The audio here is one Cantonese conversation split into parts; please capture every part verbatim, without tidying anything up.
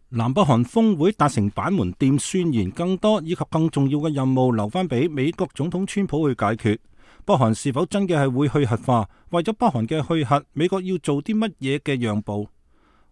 南北韓峰會達成板門店宣言，更多以及更重要嘅任務留翻俾美國總統川普去解決。北韓是否真嘅係會去核化？為咗北韓嘅去核，美國要做啲乜嘢嘅讓步？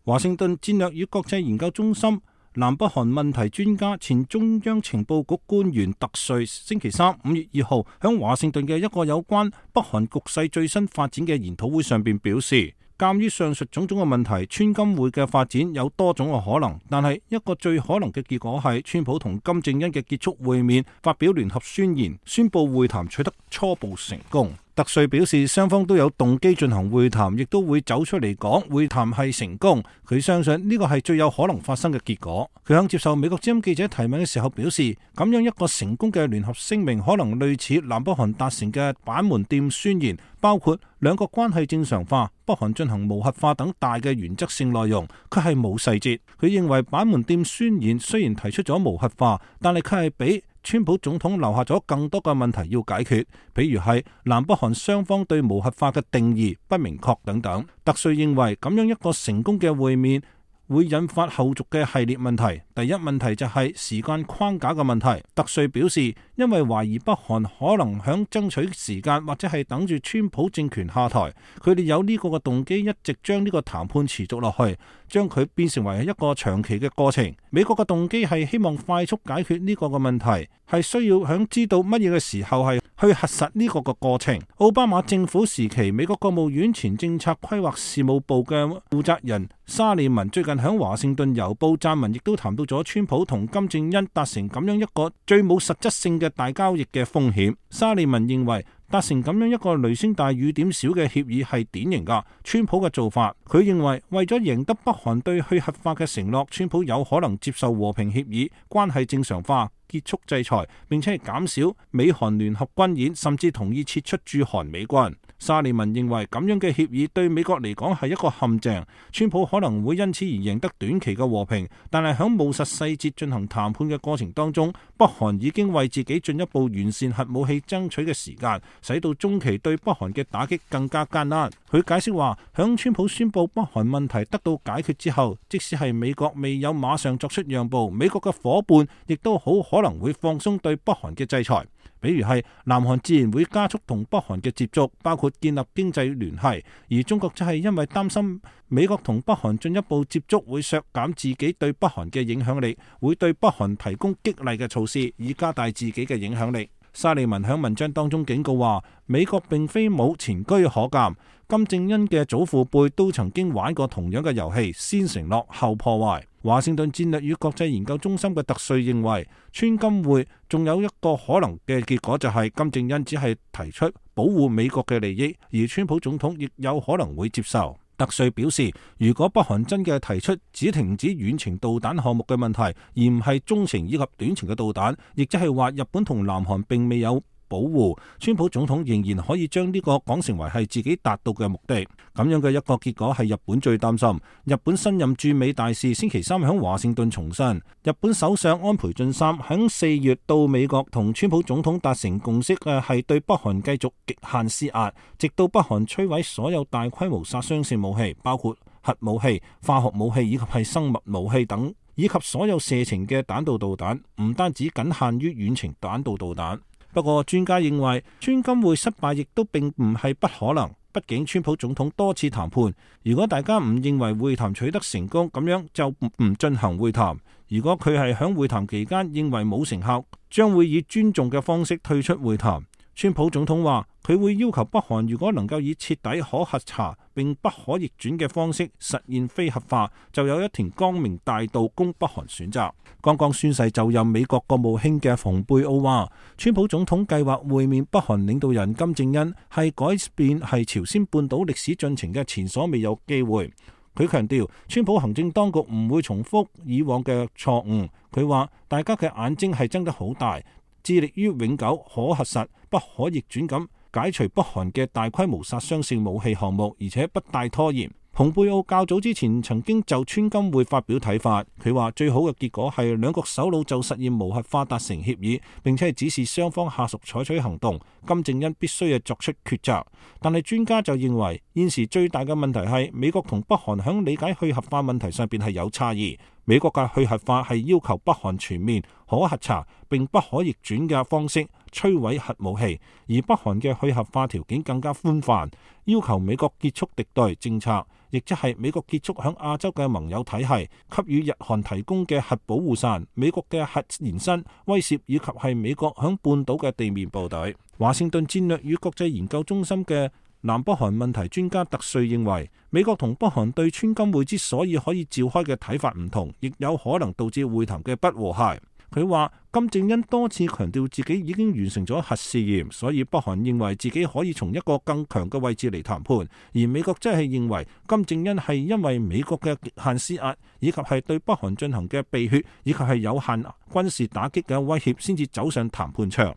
華盛頓戰略與國際研究中心南北韓問題專家、前中央情報局官員特瑞星期三五月二號喺華盛頓嘅一個有關北韓局勢最新發展嘅研討會上邊表示，鑒於上述種種嘅問題，川金會嘅發展有多種嘅可能，但係一個最可能嘅結果係川普同金正恩嘅結束會面，發表聯合宣言，宣布會談取得初步成功。特瑞表示，雙方都有動機進行會談，亦都會走出嚟講會談係成功。佢相信呢個係最有可能發生嘅結果。佢喺接受美國之音記者提問嘅時候表示，咁樣一個成功嘅聯合聲明可能類似南北韓達成嘅板門店宣言，包括兩國關係正常化、北韓進行無核化等大嘅原則性內容，佢係冇細節。佢認為板門店宣言雖然提出咗無核化，但係佢係比川普總統留下咗更多嘅問題要解決，比如係南北韓雙方對無核化嘅定義不明確等等。特瑞認為咁樣一個成功嘅會面會引發後續嘅系列問題。第一問題就係時間框架嘅問題。特瑞表示，因為懷疑北韓可能響爭取時間，或者係等住川普政權下台，佢哋有呢個嘅動機，一直將呢個談判持續落去，將佢變成為一個長期嘅過程。美國嘅動機係希望快速解決呢個嘅問題，係需要響知道乜嘢嘅時候係去核實呢個嘅過程。奧巴馬政府時期，美國國務院前政策規劃事務部嘅負責人沙利文最近響華盛頓郵報撰文，亦都談到咗川普同金正恩達成咁樣一個最冇實質性嘅大交易嘅風險。沙利文認為達成咁樣一個雷聲大雨點小嘅協議係典型噶川普嘅做法。佢認為為咗贏得北韓對去核化嘅承諾，川普有可能接受和平協議、關係正常化、結束制裁，並且係減少美韓聯合軍演，甚至同意撤出駐韓美軍。沙利文認為咁樣嘅協議對美國嚟講係一個陷阱，川普可能會因此而贏得短期嘅和平，但係喺務實細節進行談判嘅過程當中，北韓已經為自己進一步完善核武器爭取嘅時間，使到中期對北韓嘅打擊更加艱難。佢解釋話，響川普宣布北韓問題得到解決之後，即使係美國未有馬上作出讓步，美國嘅夥伴亦都好可能會放鬆對北韓嘅制裁。比如係南韓自然會加速同北韓嘅接觸，包括建立經濟聯繫，而中國就係因為擔心美國同北韓進一步接觸會削減自己對北韓嘅影響力，會對北韓提供激勵嘅措施，以加大自己嘅影響力。沙利文喺文章當中警告話，美國並非冇前車可鑑，金正恩嘅祖父輩都曾經玩過同樣嘅遊戲，先承諾後破壞。華盛頓戰略與國際研究中心嘅特瑞認為，川金會仲有一個可能嘅結果，就係金正恩只係提出保護美國嘅利益，而川普總統亦有可能會接受。特瑞表示，如果北韓真嘅提出只停止遠程導彈項目嘅問題，而唔係中程以及短程嘅導彈，亦即係話日本同南韓並未有保護，川普總統仍然可以將呢個講成為係自己達到嘅目的。咁樣嘅一個結果係日本最擔心。日本新任駐美大使星期三喺華盛頓重申，日本首相安倍晉三喺四月到美國同川普總統達成共識嘅係對北韓繼續極限施壓，直到北韓摧毀所有大規模殺傷性武器，包括核武器、化學武器以及係生物武器等，以及所有射程嘅彈道導彈，唔單止僅限於遠程彈道導彈。不過專家認為，川金會失敗亦都並唔係不可能。畢竟川普總統多次談判，如果大家唔認為會談取得成功，咁樣就唔進行會談。如果佢係響會談期間認為冇成效，將會以尊重嘅方式退出會談。川普總統話，佢會要求北韓如果能夠以徹底可核查並不可逆轉嘅方式實現非核化，就有一條光明大道供北韓選擇。剛剛宣誓就任美國國務卿嘅蓬佩奧話，川普總統計劃會面北韓領導人金正恩係改變係朝鮮半島歷史進程嘅前所未有機會。佢強調，川普行政當局唔會重複以往嘅錯誤。佢話大家嘅眼睛係睜得好大，致力於永久可核實不可逆轉咁解除北韓嘅大規模殺傷性武器項目，而且不帶拖延。蓬佩奧較早之前曾經就川金會發表睇法，佢話最好嘅結果係兩國首腦就實現無核化達成協議，並且係指示雙方下屬採取行動。金正恩必須係作出抉擇。但係專家就認為現時最大嘅問題係美國同北韓響理解去核化問題上邊係有差異。美國嘅去核化係要求北韓全面可核查並不可逆轉嘅方式摧毀核武器，而北韓嘅去核化條件更加寬泛，要求美國結束敵對政策，亦即係美國結束響亞洲嘅盟友體系給予日韓提供嘅核保護傘、美國嘅核延伸威懾以及係美國響半島嘅地面部隊。華盛頓戰略與國際研究中心嘅南北韓問題專家特瑞認為，美國同北韓對川金會之所以可以召開嘅睇法唔同，亦有可能導致會談嘅不和諧。佢話金正恩多次強調自己已經完成咗核試驗，所以北韓認為自己可以從一個更強嘅位置嚟談判，而美國則係認為金正恩係因為美國嘅極限施壓，以及係對北韓進行嘅避血，以及係有限軍事打擊嘅威脅，先至走上談判場。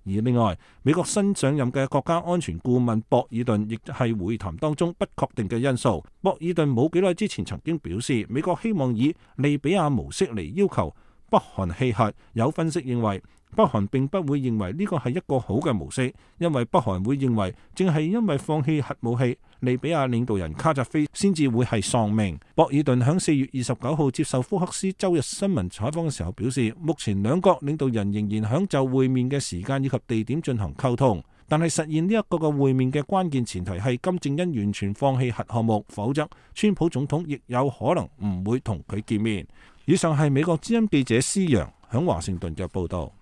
而另外，美國新上任嘅國家安全顧問博爾頓亦係會談當中不確定嘅因素。博爾頓冇幾耐之前曾經表示，美國希望以利比亞模式嚟要求北韓棄核。有分析認為，北韓並不會認為呢個係一個好嘅模式，因為北韓會認為正係因為放棄核武器，利比亞領導人卡扎菲先至會係喪命。博爾頓喺四月二十九號接受福克斯周日新聞採訪嘅時候表示，目前兩國領導人仍然響就會面嘅時間以及地點進行溝通，但係實現呢一個嘅會面嘅關鍵前提係金正恩完全放棄核項目，否則川普總統亦有可能唔會同佢見面。以上係美國之音記者施洋響華盛頓嘅報道。